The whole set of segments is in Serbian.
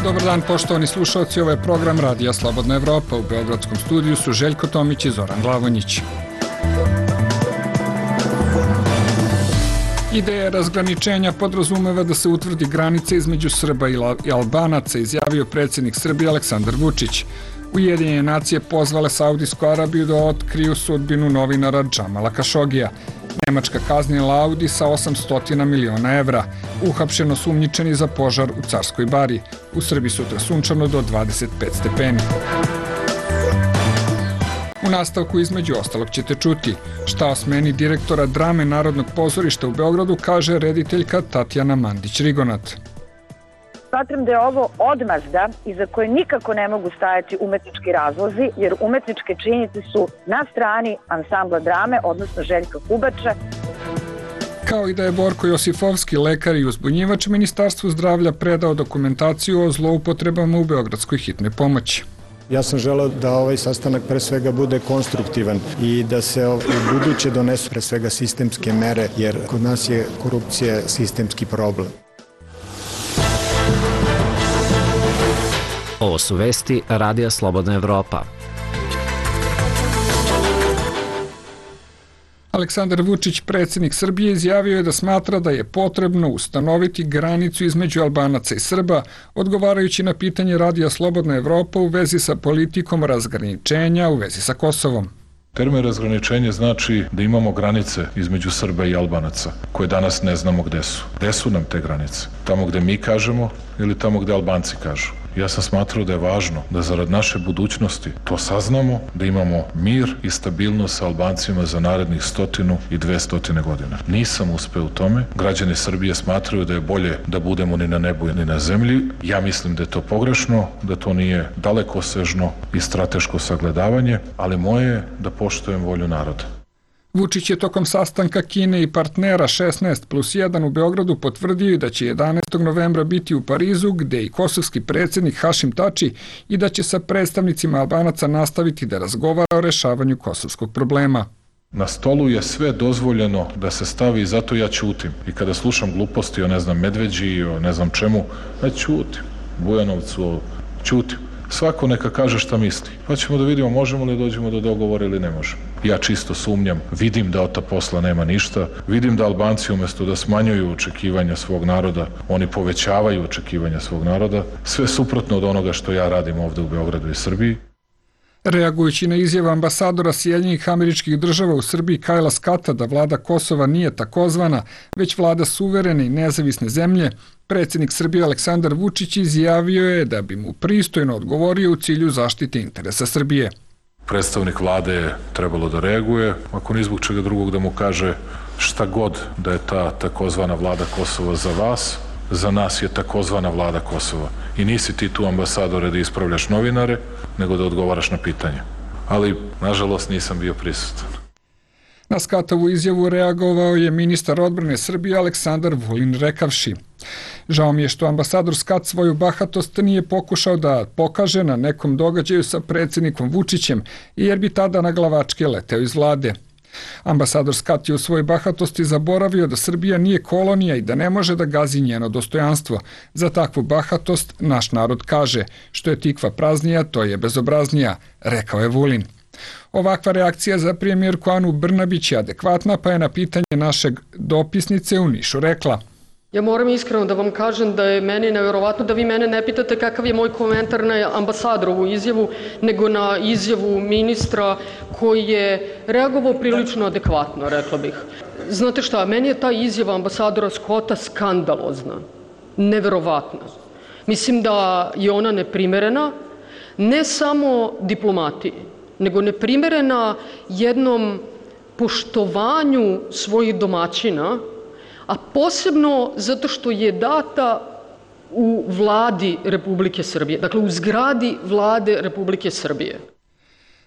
Dobar dan, poštovani slušalci, ovo je program Radija Slobodna Evropa. U beogradskom studiju su Željko Tomić i Zoran Glavonjić. Ideja razgraničenja podrazumeva da se utvrdi granica između Srba i Albanaca, izjavio predsjednik Srbije Aleksandar Vučić. Ujedinjene nacije pozvale Saudijsku Arabiju da otkriju sudbinu novinara Džamala Kašogija. Nemačka kaznila Audi sa 800 miliona evra. Uhapšeno sumnjičeni za požar u Carskoj bari. U Srbiji sutra sunčano do 25 stepeni. U nastavku između ostalog ćete čuti šta o smeni direktora drame Narodnog pozorišta u Beogradu kaže rediteljka Tatjana Mandić-Rigonat. Smatram da je ovo odmazda iza koje nikako ne mogu stajati umetnički razlozi, jer umetničke činjenice su na strani ansambla drame, odnosno Željka Kubača. Kao i da je Borko Josifovski, lekar i uzbunjivač, Ministarstvu zdravlja predao dokumentaciju o zloupotrebama u beogradskoj hitnoj pomoći. Ja sam želeo da ovaj sastanak pre svega bude konstruktivan i da se u buduće donesu pre svega sistemske mere, jer kod nas je korupcija sistemski problem. Ovo su vesti Radija Slobodna Evropa. Aleksandar Vučić, predsjednik Srbije, izjavio je da smatra da je potrebno ustanoviti granicu između Albanaca i Srba, odgovarajući na pitanje Radija Slobodna Evropa u vezi sa politikom razgraničenja u vezi sa Kosovom. Termin razgraničenje znači da imamo granice između Srba i Albanaca, koje danas ne znamo gde su. Gde su nam te granice? Tamo gde mi kažemo ili tamo gde Albanci kažu? Ja sam smatrao da je važno da zarad naše budućnosti to saznamo, da imamo mir i stabilnost sa Albancima za narednih 100 i 200 godina. Nisam uspeo u tome. Građani Srbije smatraju da je bolje da budemo ni na nebu ni na zemlji. Ja mislim da je to pogrešno, da to nije dalekosežno i strateško sagledavanje, ali moje je da poštujem volju naroda. Vučić je tokom sastanka Kine i partnera 16+1 u Beogradu potvrdio da će 11. novembra biti u Parizu, gde i kosovski predsjednik Hašim Tači, i da će sa predstavnicima Albanaca nastaviti da razgovara o rešavanju kosovskog problema. Na stolu je sve dozvoljeno da se stavi i zato ja ćutim. I kada slušam gluposti o Medveđi, o ne znam čemu, ja ćutim. Bujanovcu, ćutim. Svako neka kaže šta misli. Pa ćemo da vidimo možemo li dođemo do dogovora ili ne možemo. Ja čisto sumnjam, vidim da od ta posla nema ništa, vidim da Albanci umjesto da smanjuju očekivanja svog naroda, oni povećavaju očekivanja svog naroda, sve suprotno od onoga što ja radim ovde u Beogradu i Srbiji. Reagujući na izjavu ambasadora Sjedinjenih Američkih Država u Srbiji Kajla Skata da vlada Kosova nije takozvana, već vlada suverene i nezavisne zemlje, predsjednik Srbije Aleksandar Vučić izjavio je da bi mu pristojno odgovorio u cilju zaštite interesa Srbije. Predstavnik vlade je trebalo da reaguje, ako ni zbog čega drugog da mu kaže šta god da je ta takozvana vlada Kosova za vas, za nas je takozvana vlada Kosova. I nisi ti tu, ambasadore, da ispravljaš novinare, nego da odgovaraš na pitanje. Ali, nažalost, nisam bio prisutan. Na Skatovu izjavu reagovao je ministar odbrane Srbije Aleksandar Vulin rekavši: žao mi je što ambasador Skat svoju bahatost nije pokušao da pokaže na nekom događaju sa predsjednikom Vučićem, jer bi tada na glavačke leteo iz vlade. Ambasador Skat je u svojoj bahatosti zaboravio da Srbija nije kolonija i da ne može da gazi njeno dostojanstvo. Za takvu bahatost naš narod kaže: što je tikva praznija, to je bezobraznija, rekao je Vulin. Ovakva reakcija za premijerku Anu Brnabić je adekvatna, pa je na pitanje našeg dopisnice u Nišu rekla: ja moram iskreno da vam kažem da je meni neverovatno da vi mene ne pitate kakav je moj komentar na ambasadorovu izjavu, nego na izjavu ministra koji je reagovao prilično adekvatno, rekla bih. Znate šta, meni je ta izjava ambasadora Skota skandalozna, neverovatna. Mislim da je ona neprimerena, ne samo diplomatiji, nego neprimerena jednom poštovanju svojih domaćina, a posebno zato što je data u vladi Republike Srbije, dakle u zgradi vlade Republike Srbije.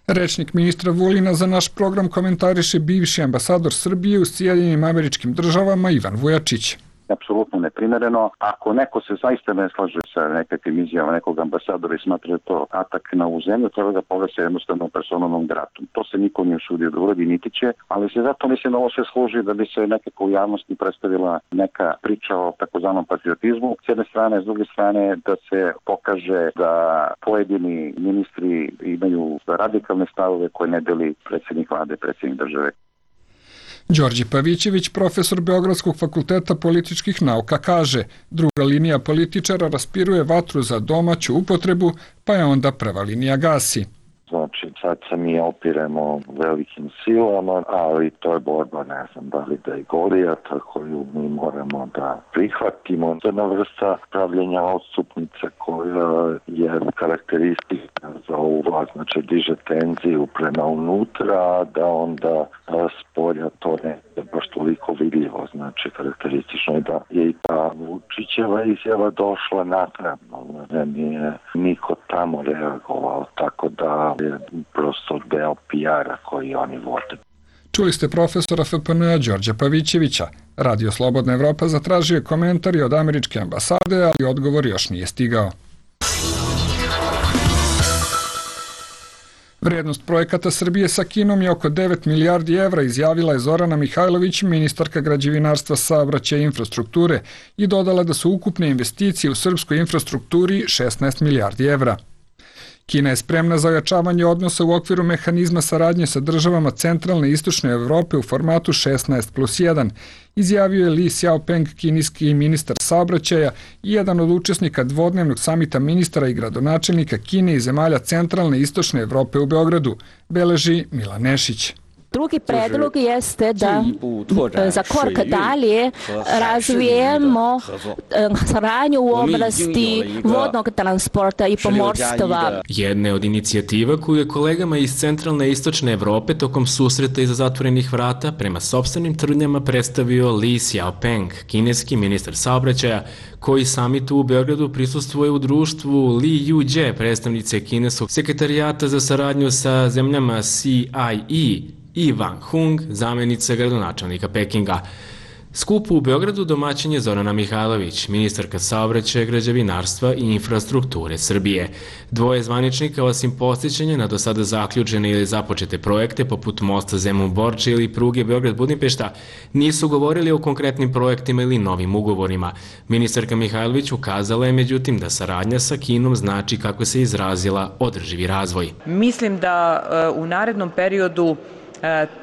Rečnik ministra Vulina za naš program komentariše bivši ambasador Srbije u Sjedinjenim Američkim Državama Ivan Vujačić. apsolutno neprimereno. Ako neko se zaista ne slaže sa nekakvim izjavama nekog ambasadora i smatra to atak na ovu zemlju, treba da pogleda se jednostavno personalnom gratom. To se niko nije usudio da uradi, niti će, ali se zato mislim da ovo sve služi da bi se nekako u javnosti predstavila neka priča o takozvanom patriotizmu. S jedne strane, s druge strane da se pokaže da pojedini ministri imaju radikalne stavove koje ne deli predsjednik vlade, predsjednik države. Đorđe Pavićević, profesor Beogradskog fakulteta političkih nauka, kaže: druga linija političara raspiruje vatru za domaću upotrebu, pa je onda prva linija gasi. Znači, sad se mi opiremo velikim silama, ali to je borba, ne znam da li da je Golijata koju mi moramo da prihvatimo. To je jedna vrsta pravljenja odstupnice koja je karakteristika za ovu vlast, znači diže tenziju prema unutra, da onda spolja to ne je baš toliko vidljivo. Znači, karakteristično je da je i ta Vučićeva izjava došla naknadno, da nije niko tamo reagovao, tako da je prosto deo PR-a koji oni vode. Čuli ste profesora FPN-a Đorđa Pavićevića. Radio Slobodna Evropa zatražio je komentar i od američke ambasade, ali odgovor još nije stigao. Vrednost projekata Srbije sa Kinom je oko 9 milijardi evra, izjavila je Zorana Mihajlović, ministarka građevinarstva, saobraćaja i infrastrukture, i dodala da su ukupne investicije u srpskoj infrastrukturi 16 milijardi evra. Kina je spremna za ojačavanje odnosa u okviru mehanizma saradnje sa državama centralne i istočne Evrope u formatu 16+1, izjavio je Li Xiaopeng, kineski ministar saobraćaja i jedan od učesnika dvodnevnog samita ministara i gradonačelnika Kine i zemalja centralne i istočne Evrope u Beogradu, beleži Milan Nešić. Drugi predlog jeste da za korak dalje razvijemo saradnju u oblasti vodnog transporta i pomorstva. Jedna od inicijativa koju je kolegama iz centralne i istočne Evrope tokom susreta iza zatvorenih vrata prema sopstvenim tvrdnjama predstavio Li Xiaopeng, kineski ministar saobraćaja, koji samitu u Beogradu prisustvuje u društvu Li Yujie, predstavnice kineskog sekretarijata za saradnju sa zemljama CIE, i Wang Hung, zamjenica gradonačelnika Pekinga. Skupu u Beogradu domaćin je Zorana Mihajlović, ministarka saobraćaja, građevinarstva i infrastrukture Srbije. Dvoje zvaničnika, osim podsjećanja na do sada zaključene ili započete projekte poput mosta Zemun-Borča ili pruge Beograd-Budimpešta, nisu govorili o konkretnim projektima ili novim ugovorima. Ministarka Mihajlović ukazala je međutim da saradnja sa Kinom znači, kako se izrazila, održivi razvoj. Mislim da u narednom periodu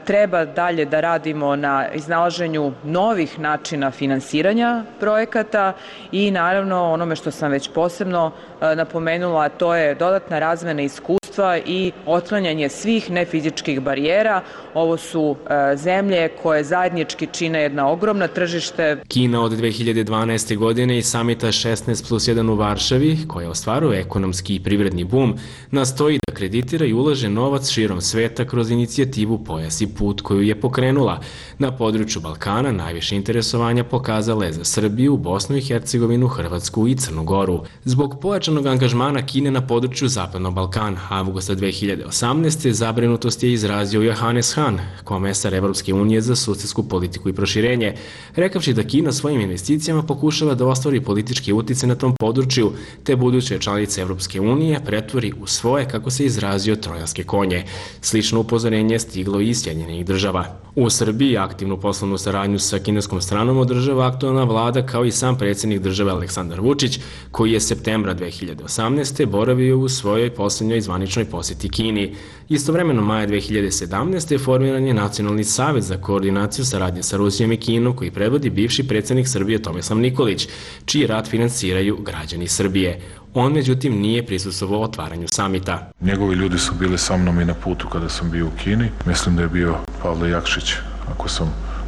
treba dalje da radimo na iznalaženju novih načina finansiranja projekata i naravno onome što sam već posebno napomenula, to je dodatna razmena iskustva i otklanjanje svih nefizičkih barijera. Ovo su zemlje koje zajednički čine jedna ogromna tržište. Kina od 2012. godine i samita 16+1 u Varšavi, koja ostvaruje ekonomski i privredni bum, nastoji da kreditira i ulaže novac širom sveta kroz inicijativu Pojas i put, koju je pokrenula. Na području Balkana najviše interesovanja pokazala je za Srbiju, Bosnu i Hercegovinu, Hrvatsku i Crnu Goru. Zbog pojačanog angažmana Kine na području Zapadnog Balkana, avgusta 2018. zabrinutost je izrazio Johannes Hahn, komesar Evropske unije za susedsku politiku i proširenje, rekavši da Kina svojim investicijama pokušava da ostvari politički uticaj na tom području, te buduće članice Evropske unije pretvori u svoje, kako se izrazio, trojanske konje. Slično upozorenje je stiglo i iz Sjedinjenih država. U Srbiji aktivnu poslovnu saradnju sa kineskom stranom održava aktualna vlada, kao i sam predsjednik države Aleksandar Vučić, koji je septembra 2018. boravio u svojoj posljednjoj zvaničnoj posjeti Kini. Istovremeno, maja 2017. formiran je Nacionalni savet za koordinaciju saradnje sa Rusijom i Kinom, koji predvodi bivši predsjednik Srbije Tomislav Nikolić, čiji rad finansiraju građani Srbije. On, međutim, nije prisustvovao otvaranju samita. Njegovi ljudi su bili sa mnom i na putu kada sam bio u Kini. Mislim da je bio Pavle Jakšić,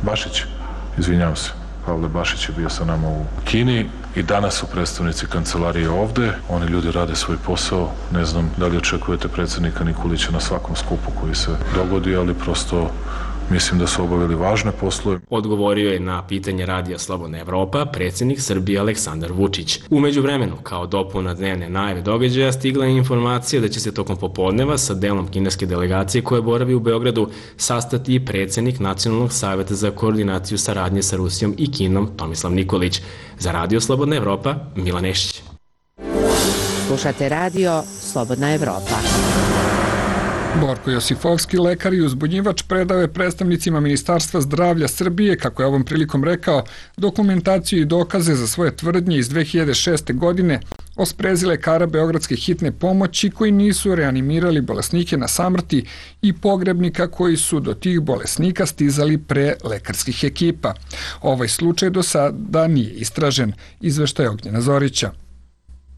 Bašić, izvinjavam se. Pavle Bašić je bio sa nama u Kini i danas su predstavnici kancelarije ovde. Oni ljudi rade svoj posao. Ne znam da li očekujete predsjednika Nikolića na svakom skupu koji se dogodi, ali prosto Mislim da su obavili važne poslove. Odgovorio je na pitanje Radija Slobodna Evropa predsjednik Srbije Aleksandar Vučić. U međuvremenu, kao dopuna dnevne najave događaja, stigla je informacija da će se tokom popodneva sa delom kineske delegacije koje boravi u Beogradu sastati i predsjednik Nacionalnog saveta za koordinaciju saradnje sa Rusijom i Kinom Tomislav Nikolić. Za Radio Slobodna Evropa, Milan Nešić. Slušate Radio Slobodna Evropa. Borko Josifovski, lekar i uzbunjivač, predao je predstavnicima Ministarstva zdravlja Srbije, kako je ovom prilikom rekao, dokumentaciju i dokaze za svoje tvrdnje iz 2006. godine o sprezi lekara Beogradske hitne pomoći koji nisu reanimirali bolesnike na samrti i pogrebnika koji su do tih bolesnika stizali pre lekarskih ekipa. Ovaj slučaj do sada nije istražen, izveštaj Ognjena Zorića.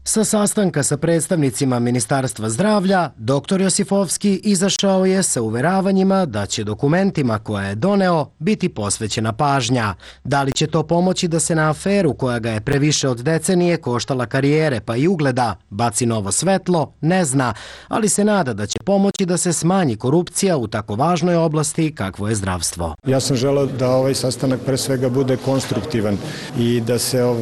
Sa sastanka sa predstavnicima Ministarstva zdravlja, dr. Josifovski izašao je sa uveravanjima da će dokumentima koje je doneo biti posvećena pažnja. Da li će to pomoći da se na aferu koja ga je previše od decenije koštala karijere pa i ugleda baci novo svetlo, ne zna, ali se nada da će pomoći da se smanji korupcija u tako važnoj oblasti kakvo je zdravstvo. Ja sam želeo da ovaj sastanak pre svega bude konstruktivan i da se u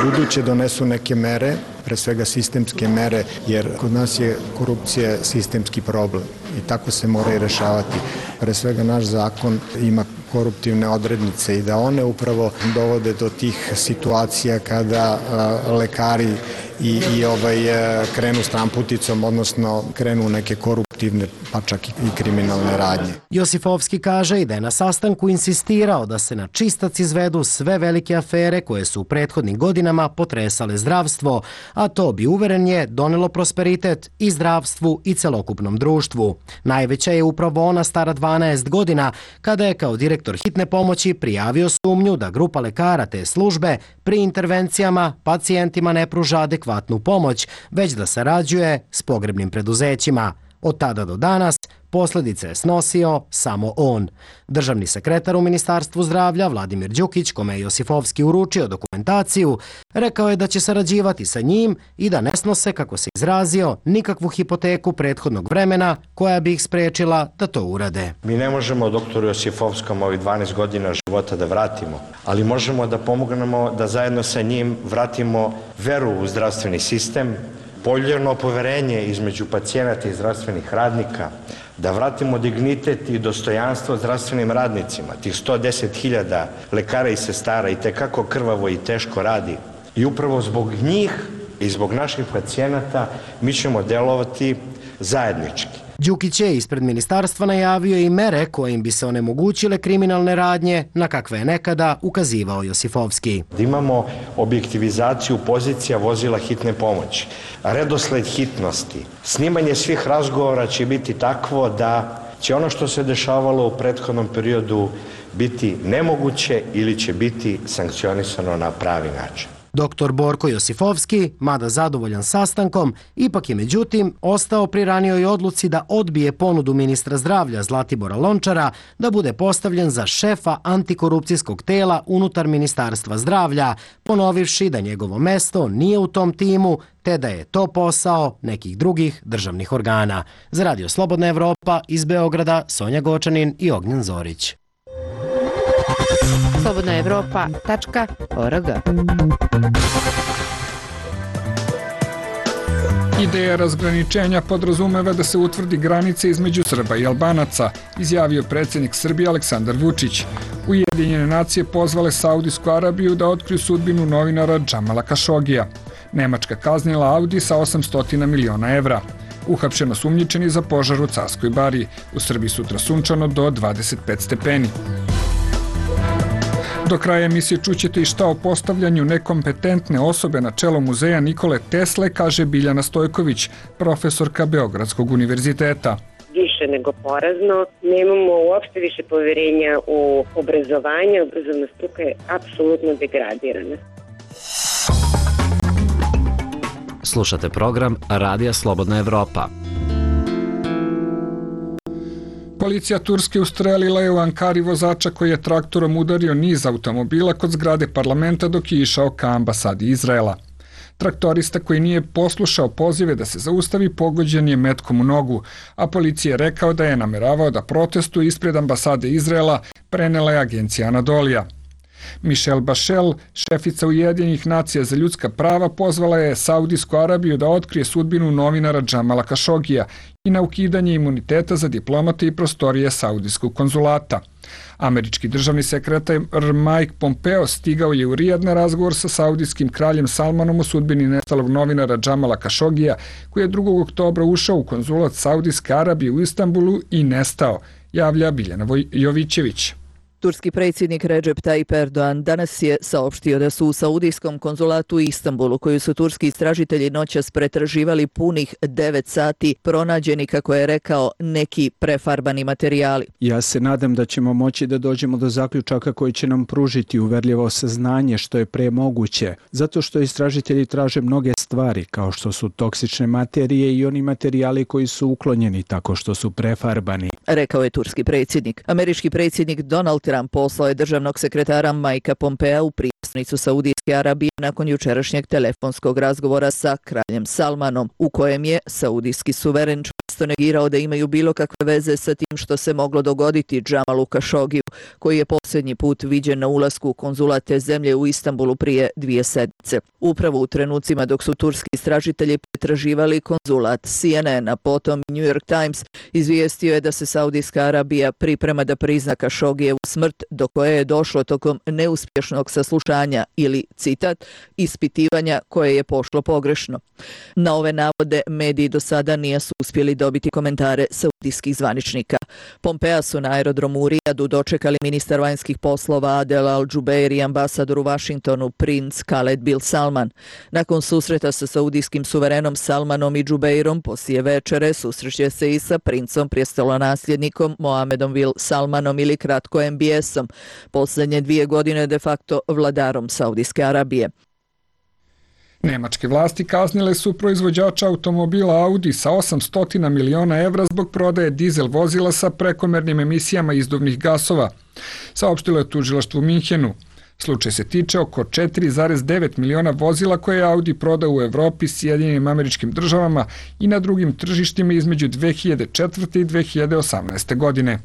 buduće donesu neke mere, pre svega sistemske mere, jer kod nas je korupcija sistemski problem i tako se mora i rešavati. Pre svega naš zakon ima koruptivne odrednice i da one upravo dovode do tih situacija kada lekari i krenu stramputicom, odnosno krenu neke koruptivne, pa čak i kriminalne radnje. Josifovski kaže i da je na sastanku insistirao da se na čistac izvedu sve velike afere koje su u prethodnim godinama potresale zdravstvo, a to bi, uveren je, donelo prosperitet i zdravstvu i celokupnom društvu. Najveća je upravo ona stara 12 godina, kada je kao direktor hitne pomoći prijavio sumnju da grupa lekara te službe pri intervencijama pacijentima ne pruža adekvatnu pomoć, već da sarađuje s pogrebnim preduzećima. Od tada do danas posljedice je snosio samo on. Državni sekretar u Ministarstvu zdravlja Vladimir Đukić, kome je Josifovski uručio dokumentaciju, rekao je da će sarađivati sa njim i da ne snose, kako se izrazio, nikakvu hipoteku prethodnog vremena koja bi ih sprečila da to urade. Mi ne možemo doktoru Josifovskom ovih 12 godina života da vratimo, ali možemo da pomognemo da zajedno sa njim vratimo veru u zdravstveni sistem, poljeno poverenje između pacijenata i zdravstvenih radnika, da vratimo dignitet i dostojanstvo zdravstvenim radnicima, tih 110.000 lekara i sestara i tekako krvavo i teško radi. I upravo zbog njih i zbog naših pacijenata mi ćemo delovati zajednički. Đukić je ispred ministarstva najavio i mere kojim bi se onemogućile kriminalne radnje na kakve je nekada ukazivao Josifovski. Da imamo objektivizaciju pozicija vozila hitne pomoći, redosled hitnosti, snimanje svih razgovora će biti takvo da će ono što se dešavalo u prethodnom periodu biti nemoguće ili će biti sankcionisano na pravi način. Dr. Borko Josifovski, mada zadovoljan sastankom, ipak je međutim ostao pri ranijoj odluci da odbije ponudu ministra zdravlja Zlatibora Lončara da bude postavljen za šefa antikorupcijskog tela unutar Ministarstva zdravlja, ponovivši da njegovo mesto nije u tom timu, te da je to posao nekih drugih državnih organa. Za Radio Slobodna Evropa iz Beograda, Sonja Gočanin i Ognjen Zorić. slobodnaevropa.org. Ideja razgraničenja podrazumeva da se utvrdi granice između Srba i Albanaca, izjavio predsjednik Srbije Aleksandar Vučić. Ujedinjene nacije pozvale Saudijsku Arabiju da otkriju sudbinu novinara Džamala Kašogija. Nemačka kaznila Audi sa 800 miliona evra. Uhapšeno sumnjičeni za požar u Carskoj Bari. U Srbiji sutra sunčano do 25 stepeni. Do kraja emisije čućete i šta o postavljanju nekompetentne osobe na čelo muzeja Nikole Tesle, kaže Biljana Stojković, profesorka Beogradskog univerziteta. Više nego porazno, nemamo uopšte više poverenja u obrazovanje, obrazovna struka je apsolutno degradirana. Slušate program Radija Slobodna Evropa. Policija Turske ustrelila je u Ankari vozača koji je traktorom udario niz automobila kod zgrade parlamenta dok je išao ka ambasadi Izraela. Traktorista koji nije poslušao pozive da se zaustavi pogođen je metkom u nogu, a policija je rekao da je nameravao da protestuje ispred ambasade Izraela, prenela je agencija Anadolija. Michelle Bachel, šefica Ujedinjenih nacija za ljudska prava, pozvala je Saudijsku Arabiju da otkrije sudbinu novinara Džamala Kašogija i na ukidanje imuniteta za diplomate i prostorije Saudijskog konzulata. Američki državni sekretar Mike Pompeo stigao je u Rijad na razgovor sa saudijskim kraljem Salmanom o sudbini nestalog novinara Džamala Kašogija, koji je 2. oktobra ušao u konzulat Saudijske Arabije u Istanbulu i nestao, javlja Biljana Jovićević. Turski predsjednik Recep Tayyip Erdogan danas je saopštio da su u saudijskom konzulatu u Istanbulu, koju su turski istražitelji noćas pretraživali punih 9 sati, pronađeni, kako je rekao, neki prefarbani materijali. Ja se nadam da ćemo moći da dođemo do zaključaka koji će nam pružiti uverljivo saznanje što je pre moguće, zato što istražitelji traže mnoge stvari, kao što su toksične materije i oni materijali koji su uklonjeni tako što su prefarbani, rekao je turski predsjednik. Američki predsjednik Donald Trump poslao je državnog sekretara Mikea Pompea u prijestolnicu Saudijske Arabije nakon jučerašnjeg telefonskog razgovora sa kraljem Salmanom, u kojem je saudijski suveren čvrsto negirao da imaju bilo kakve veze sa tim što se moglo dogoditi Džamalu Kašogiju, koji je posljednji put viđen na ulasku u konzulat te zemlje u Istanbulu prije 2 sedmice. Upravo u trenucima dok su turski istražitelji pretraživali konzulat, CNN, a potom New York Times izvijestio je da se Saudijska Arabija priprema da prizna Kašogijevu smrt, do koje je došlo tokom neuspješnog saslušanja ili, citat, ispitivanja koje je pošlo pogrešno. Na ove navode mediji do sada nisu uspjeli dobiti komentare saudijskih zvaničnika. Pompea su na aerodromu u Rijadu dočekali ministar vanjskih poslova Adel Al-Jubeir i ambasador u Washingtonu princ Khaled bin Salman. Nakon susreta sa saudijskim suverenom Salmanom i Jubeirom poslije večere susreće se i sa princom prijestolonasljednikom Mohamedom bin Salmanom ili kratko MBS-om, posljednje 2 godine de facto vladarom Saudijske Arabije. Nemačke vlasti kaznile su proizvođača automobila Audi sa 800 miliona evra zbog prodaje dizel vozila sa prekomernim emisijama izduvnih gasova, saopštilo je tužilaštvo u Minhenu. Slučaj se tiče oko 4,9 miliona vozila koje je Audi prodao u Evropi, Sjedinjenim Američkim Državama i na drugim tržištima između 2004. i 2018. godine.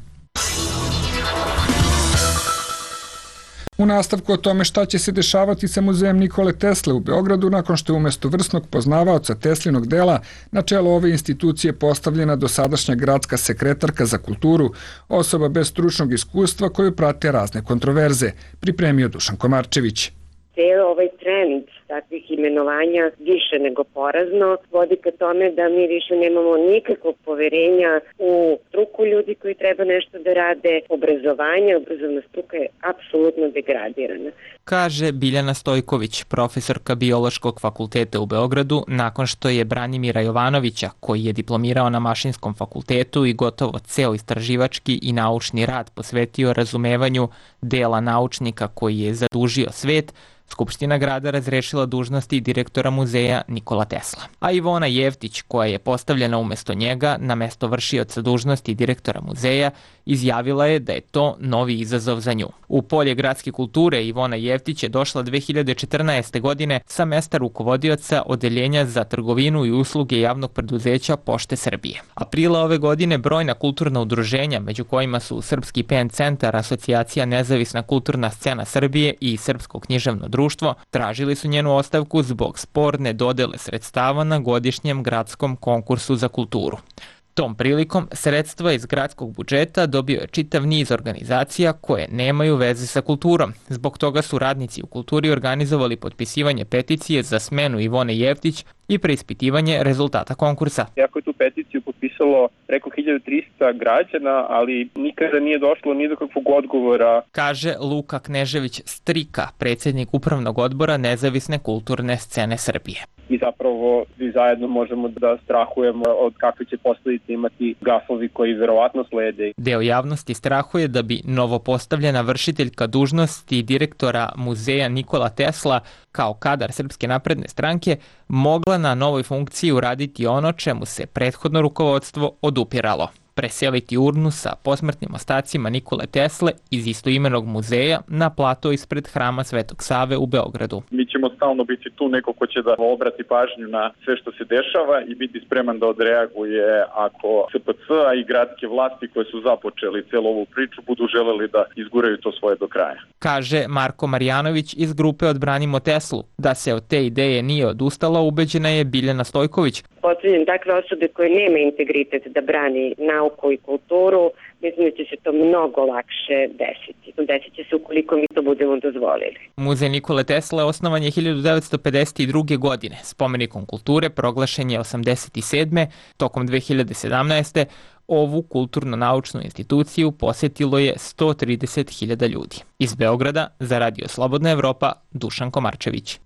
U nastavku o tome šta će se dešavati sa muzejem Nikole Tesle u Beogradu nakon što je umjesto vrsnog poznavaoca Teslinog dela na čelo ove institucije postavljena dosadašnja gradska sekretarka za kulturu, osoba bez stručnog iskustva koju prate razne kontroverze, pripremio Dušan Komarčević. Cijel ovaj trend takvih imenovanja više nego porazno vodi ka tome da mi više nemamo nikakvog poverenja u struku ljudi koji treba nešto da rade. Obrazovna struka je apsolutno degradirana. Kaže Biljana Stojković, profesorka Biološkog fakulteta u Beogradu, nakon što je Branimira Jovanovića, koji je diplomirao na Mašinskom fakultetu i gotovo ceo istraživački i naučni rad posvetio razumevanju dela naučnika koji je zadužio svet, Skupština grada razrešila dužnosti direktora muzeja Nikola Tesla. A Ivona Jevtić, koja je postavljena umjesto njega na mesto vršioca dužnosti direktora muzeja, izjavila je da je to novi izazov za nju. U polje gradske kulture Ivona Jevtić je došla 2014. godine sa mesta rukovodioca Odeljenja za trgovinu i usluge javnog preduzeća Pošte Srbije. Aprila ove godine brojna kulturna udruženja, među kojima su Srpski PEN centar, Asocijacija Nezavisna kulturna scena Srbije i Srpsko književno društvo, tražili su njenu ostavku zbog sporne dodele sredstava na godišnjem gradskom konkursu za kulturu. Tom prilikom sredstva iz gradskog budžeta dobio je čitav niz organizacija koje nemaju veze sa kulturom. Zbog toga su radnici u kulturi organizovali potpisivanje peticije za smenu Ivone Jevtić i preispitivanje rezultata konkursa. Iako je tu peticiju potpisalo preko 1300 građana, ali nikada nije došlo ni do kakvog odgovora. Kaže Luka Knežević Strika, predsjednik upravnog odbora Nezavisne kulturne scene Srbije. I zapravo svi zajedno možemo da strahujemo od kakve će posljedice imati gasovi koji verovatno slede. Deo javnosti strahuje da bi novopostavljena vršiteljka dužnosti direktora muzeja Nikola Tesla kao kadar Srpske napredne stranke mogla na novoj funkciji uraditi ono čemu se prethodno rukovodstvo odupiralo. preseliti urnu sa posmrtnim ostacima Nikole Tesle iz istoimenog muzeja na plato ispred Hrama Svetog Save u Beogradu. Mi ćemo stalno biti tu neko ko će da obrati pažnju na sve što se dešava i biti spreman da odreaguje ako SPC i gradske vlasti koje su započeli celu ovu priču budu želeli da izguraju to svoje do kraja. Kaže Marko Marjanović iz grupe Odbranimo Teslu. Da se od te ideje nije odustala, ubeđena je Biljana Stojković. Postavljam takve osobe koje nema integritet da brani nauku i kulturu, mislim da će se to mnogo lakše desiti. Desit će se ukoliko mi to budemo dozvolili. Muzej Nikole Tesle osnovan je 1952. godine. Spomenikom kulture proglašen je 87. Tokom 2017. Ovu kulturno-naučnu instituciju posjetilo je 130.000 ljudi. Iz Beograda za Radio Slobodna Evropa, Dušan Komarčević.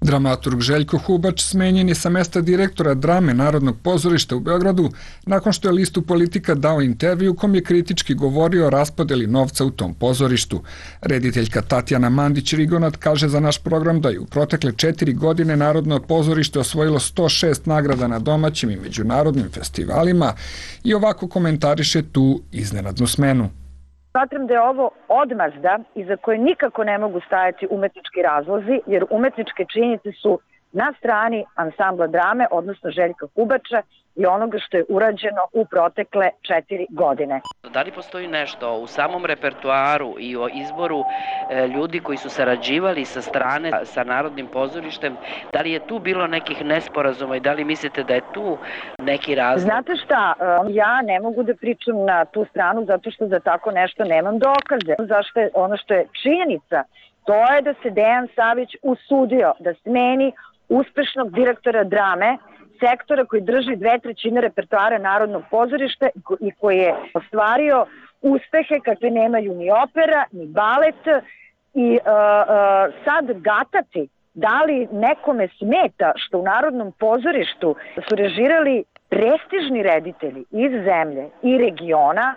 Dramaturg Željko Hubač smenjen je sa mesta direktora drame Narodnog pozorišta u Beogradu nakon što je listu Politika dao intervju u kom je kritički govorio o raspodeli novca u tom pozorištu. Rediteljka Tatjana Mandić-Rigonat kaže za naš program da je u protekle 4 godine Narodno pozorište osvojilo 106 nagrada na domaćim i međunarodnim festivalima i ovako komentariše tu iznenadnu smenu. Smatram da je ovo odmazda iza koje nikako ne mogu stajati umetnički razlozi, jer umetničke činjenice su na strani ansambla drame, odnosno Željka Hubača i onoga što je urađeno u protekle 4 godine. Da li postoji nešto u samom repertoaru i o izboru ljudi koji su sarađivali sa strane sa Narodnim pozorištem, da li je tu bilo nekih nesporazuma i da li mislite da je tu neki razlog? Znate šta, ja ne mogu da pričam na tu stranu zato što za tako nešto nemam dokaze. Zašto je ono što je činjenica, to je da se Dejan Savić usudio da smeni uspešnog direktora drame, sektora koji drži 2/3 repertoara Narodnog pozorišta i koji je ostvario uspehe kakve nemaju ni opera, ni balet i sad gatati da li nekome smeta što u Narodnom pozorištu su režirali prestižni reditelji iz zemlje i regiona,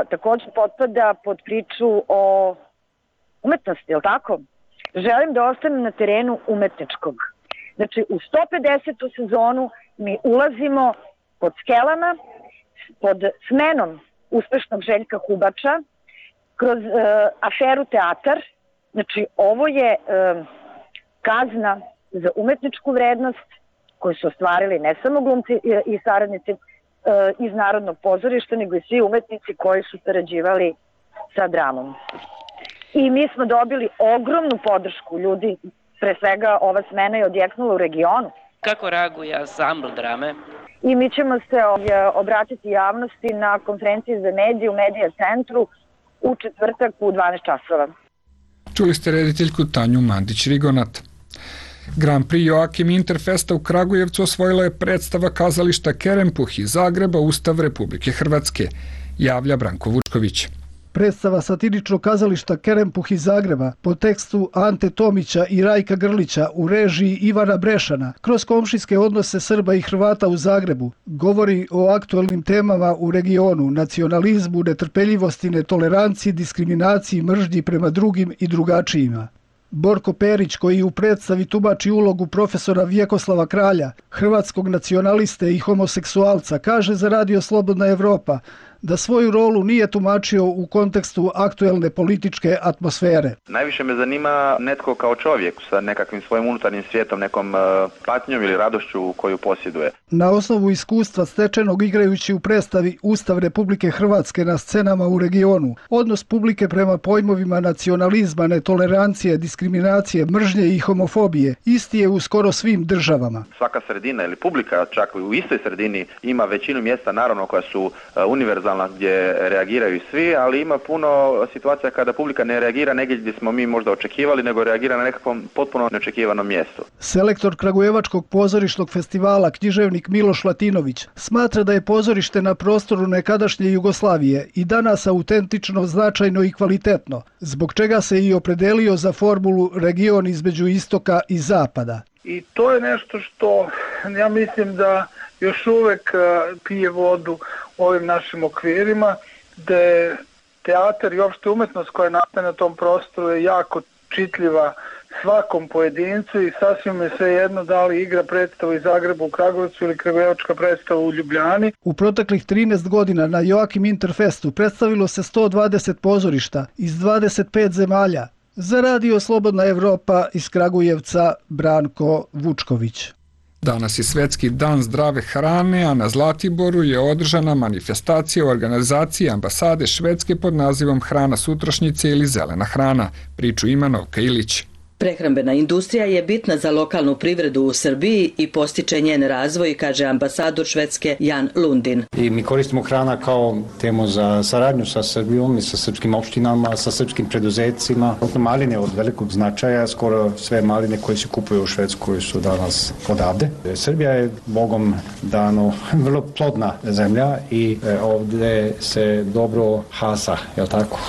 također potpada pod priču o umetnosti, je li tako? Želim da ostanem na terenu umetničkog. Znači, u 150. sezonu mi ulazimo pod skelama, pod smenom uspešnog Željka Hubača, kroz aferu Teatar. Znači, ovo je kazna za umetničku vrednost koju su ostvarili ne samo glumci i saradnici iz Narodnog pozorišta, nego i svi umetnici koji su sarađivali sa dramom. I mi smo dobili ogromnu podršku ljudi. Pre svega, ova smena je odjeknula u regionu. Kako reaguje ansambl drame? I mi ćemo se obratiti javnosti na konferenciji za medije u Medija centru u četvrtak u 12 časova. Čuli ste rediteljku Tanju Mandić-Rigonat. Grand Prix Joakim Interfesta u Kragujevcu osvojila je predstava kazališta Kerempuh iz Zagreba Ustav Republike Hrvatske, javlja Branko Vučković. Predstava satiričnog kazališta Kerempuh iz Zagreba po tekstu Ante Tomića i Rajka Grlića u režiji Ivana Brešana kroz komšijske odnose Srba i Hrvata u Zagrebu govori o aktuelnim temama u regionu, nacionalizmu, netrpeljivosti, netoleranciji, diskriminaciji, mržnji prema drugim i drugačijima. Borko Perić, koji u predstavi tumači ulogu profesora Vjekoslava Kralja, hrvatskog nacionaliste i homoseksualca, kaže za Radio Slobodna Evropa da svoju rolu nije tumačio u kontekstu aktuelne političke atmosfere. Najviše me zanima netko kao čovjek sa nekakvim svojim unutarnjim svijetom, nekom patnjom ili radošću koju posjeduje. Na osnovu iskustva stečenog igrajući u predstavi Ustav Republike Hrvatske na scenama u regionu, odnos publike prema pojmovima nacionalizma, netolerancije, diskriminacije, mržnje i homofobije isti je u skoro svim državama. Svaka sredina ili publika čak u istoj sredini ima većinu mjesta naravno koja su univerzalna gdje reagiraju svi, ali ima puno situacija kada publika ne reagira negdje gdje smo mi možda očekivali, nego reagira na nekakvom potpuno neočekivanom mjestu. Selektor Kragujevačkog pozorišnog festivala, književnik Miloš Latinović, smatra da je pozorište na prostoru nekadašnje Jugoslavije i danas autentično, značajno i kvalitetno, zbog čega se i opredelio za formulu region između istoka i zapada. I to je nešto što ja mislim da još uvek pije vodu u ovim našim okvirima, da je teatar i opšte umetnost koja nastaje na tom prostoru je jako čitljiva svakom pojedincu i sasvim je sve jedno da li igra predstavu iz Zagreba u Kragujevcu ili kragujevačka predstava u Ljubljani. U proteklih 13 godina na Joakim Interfestu predstavilo se 120 pozorišta iz 25 zemalja. Za Radio Slobodna Evropa iz Kragujevca Branko Vučković. Danas je Svetski dan zdrave hrane, a na Zlatiboru je održana manifestacija u organizaciji ambasade Švedske pod nazivom Hrana sutrašnjice ili zelena hrana. Priču ima Novka Ilić. Prehrambena industrija je bitna za lokalnu privredu u Srbiji i postiče njen razvoj, kaže ambasador Švedske Jan Lundin. I mi koristimo hrana kao temu za saradnju sa Srbijom i sa srpskim opštinama, sa srpskim preduzecima. Maline od velikog značaja, skoro sve maline koje se kupuju u Švedskoj su danas odavde. Srbija je Bogom dano vrlo plodna zemlja i ovde se dobro hasa, je li tako?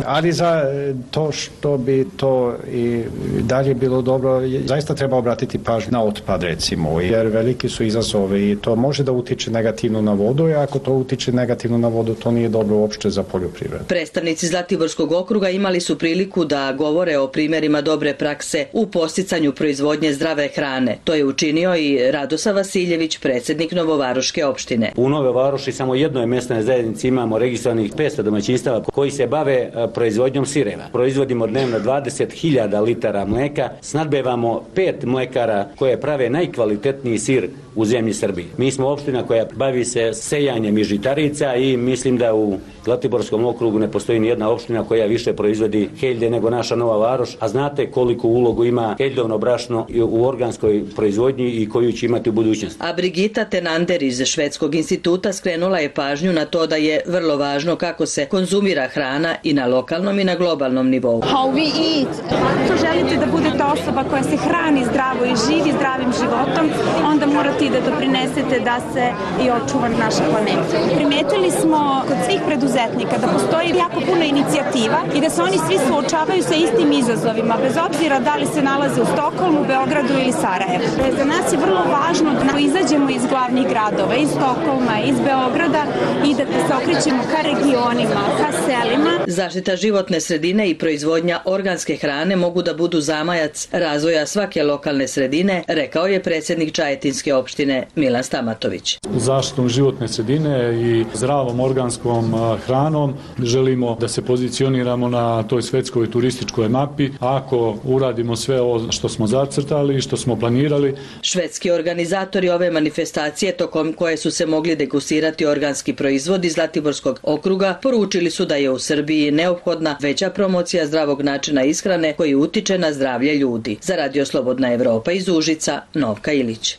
Ali za to što bi to i dalje bilo dobro, zaista treba obratiti pažnju na otpad recimo, jer veliki su izazovi i to može da utiče negativno na vodu, i ako to utiče negativno na vodu, to nije dobro uopšte za poljoprivredu. Predstavnici Zlatiborskog okruga imali su priliku da govore o primjerima dobre prakse u podsticanju proizvodnje zdrave hrane. To je učinio i Radosa Vasiljević, predsjednik Novovaroške opštine. U Nove Varoši samo jednoj mesnoj zajednici imamo registrovanih 500 domaćinstava koji se bave proizvodnjom sireva. Proizvodimo dnevno 20.000 litara mleka, snadbevamo 5 mlekara koje prave najkvalitetniji sir u zemlji Srbiji. Mi smo opština koja bavi se sejanjem i žitarica i mislim da u Zlatiborskom okrugu ne postoji ni jedna opština koja više proizvodi heljde nego naša Nova Varoš, a znate koliko ulogu ima heljdovno brašno u organskoj proizvodnji i koju će imati u budućnosti. A Brigita Tenander iz Švedskog instituta skrenula je pažnju na to da je vrlo važno kako se konzumira hrana i na lokalnom i na globalnom nivou. How we eat. Ako želite da budete osoba koja se hrani zdravo i živi zdravim životom, onda morate i da doprinesete da se i očuva naša planeta. Primetili smo kod svih preduzetnika da postoji jako puno inicijativa i da se oni svi suočavaju sa istim izazovima, bez obzira da li se nalaze u Stokholmu, Beogradu ili Sarajevu. Za nas je vrlo važno da izađemo iz glavnih gradova, iz Stokholma, iz Beograda i da se okrećemo ka regionima, ka selima. Zaštita životne sredine i proizvodnja organske hrane mogu da budu zamajac razvoja svake lokalne sredine, rekao je predsjednik Čajetinske opštine Milan Stamatović. Zaštitom životne sredine i zdravom organskom hranom želimo da se pozicioniramo na toj svetskoj turističkoj mapi. Ako uradimo sve ovo što smo zacrtali i što smo planirali. Švedski organizatori ove manifestacije, tokom koje su se mogli degustirati organski proizvodi Zlatiborskog okruga, poručili su da je u Srbiji neophodna veća promocija zdravog načina ishrane koji utiče na zdravlje ljudi. Za Radio Slobodna Evropa iz Užica, Novka Ilić.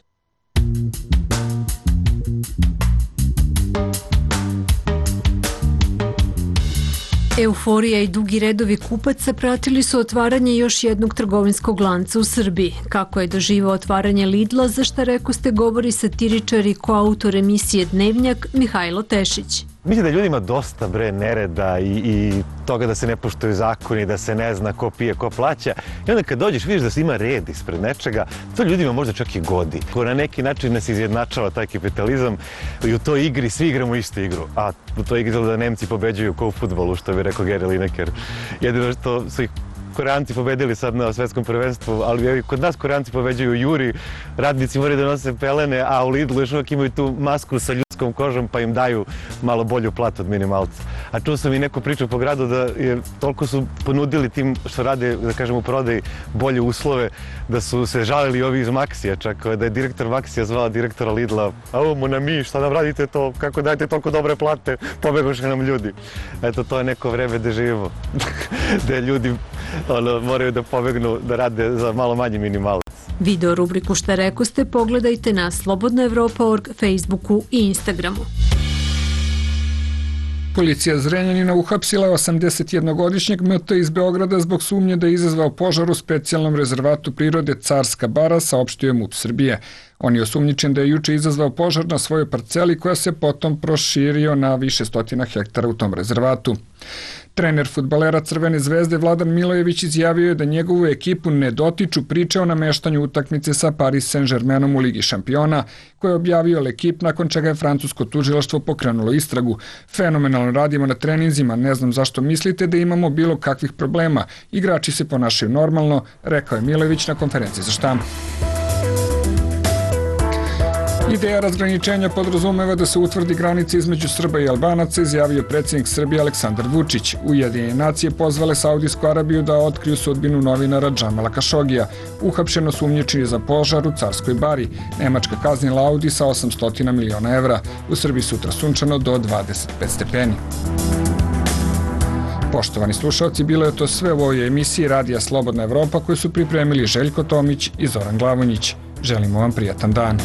Euforija i dugi redovi kupaca pratili su otvaranje još jednog trgovinskog lanca u Srbiji. Kako je doživao otvaranje Lidla, za šta rekoste govori satiričar i koautor emisije Dnevnjak Mihajlo Tešić. Mislim da ljudima dosta nereda i toga da se ne poštuju zakoni, da se ne zna ko pije, ko plaća. I onda kad dođeš vidiš da se ima red ispred nečega, to ljudima možda čak i godi. Na neki način nas izjednačava taj kapitalizam i u toj igri svi igramo istu igru. A u toj igri da Nemci pobeđuju ko u fudbalu, što bi rekao Gary Lineker. Jedino što su ih Koreanci pobedili sad na svetskom prvenstvu, ali kod nas Koreanci pobeđuju Juri, radnici moraju da nose pelene, a u Lidlu još uvijek imaju tu masku sa ljudskom kožom pa im daju malo bolju platu od minimalca. A čuo sam i neku priču po gradu da je toliko su ponudili tim što rade, da kažem, u prodaji bolje uslove, da su se žalili ovi iz Maxija čak, da je direktor Maxija zvao direktora Lidla, a ovo mu na mi, šta nam radite to, kako dajete toliko dobre plate, pobegoše nam ljudi. Eto, to je neko vreme gde živimo, gde ljudi moraju da pobegnu da rade za malo manji minimalac. Video rubriku Šta rekoste pogledajte na slobodnaevropa.org, Facebooku i Instagramu. Policija Zrenjanina uhapsila je 81-godišnjeg MT iz Beograda zbog sumnje da je izazvao požar u specijalnom rezervatu prirode Carska bara, saopštio je MUP Srbije. On je osumnjičen da je juče izazvao požar na svojoj parceli koja se potom proširio na više stotina hektara u tom rezervatu. Trener fudbalera Crvene zvezde Vladan Milojević izjavio je da njegovu ekipu ne dotiču priče o nameštanju utakmice sa Paris Saint-Germainom u Ligi šampiona, koje je objavio L'Equipe nakon čega je francusko tužilaštvo pokrenulo istragu. Fenomenalno radimo na treninzima, ne znam zašto mislite da imamo bilo kakvih problema. Igrači se ponašaju normalno, rekao je Milojević na konferenciji za štampu. Ideja razgraničenja podrazumeva da se utvrdi granica između Srba i Albanaca, izjavio predsjednik Srbije Aleksandar Vučić. Ujedinjene nacije pozvale Saudijsku Arabiju da otkriju sudbinu novinara Džamala Kašogija, uhapšeno sumnjičeni za požar u Carskoj Bari. Nemačka kaznila Audi sa 800 miliona evra. U Srbiji sutra sunčano do 25 stepeni. Poštovani slušalci, bilo je to sve u ovoj emisiji Radija Slobodna Evropa koju su pripremili Željko Tomić i Zoran Glavonjić. Želimo vam prijatan dan.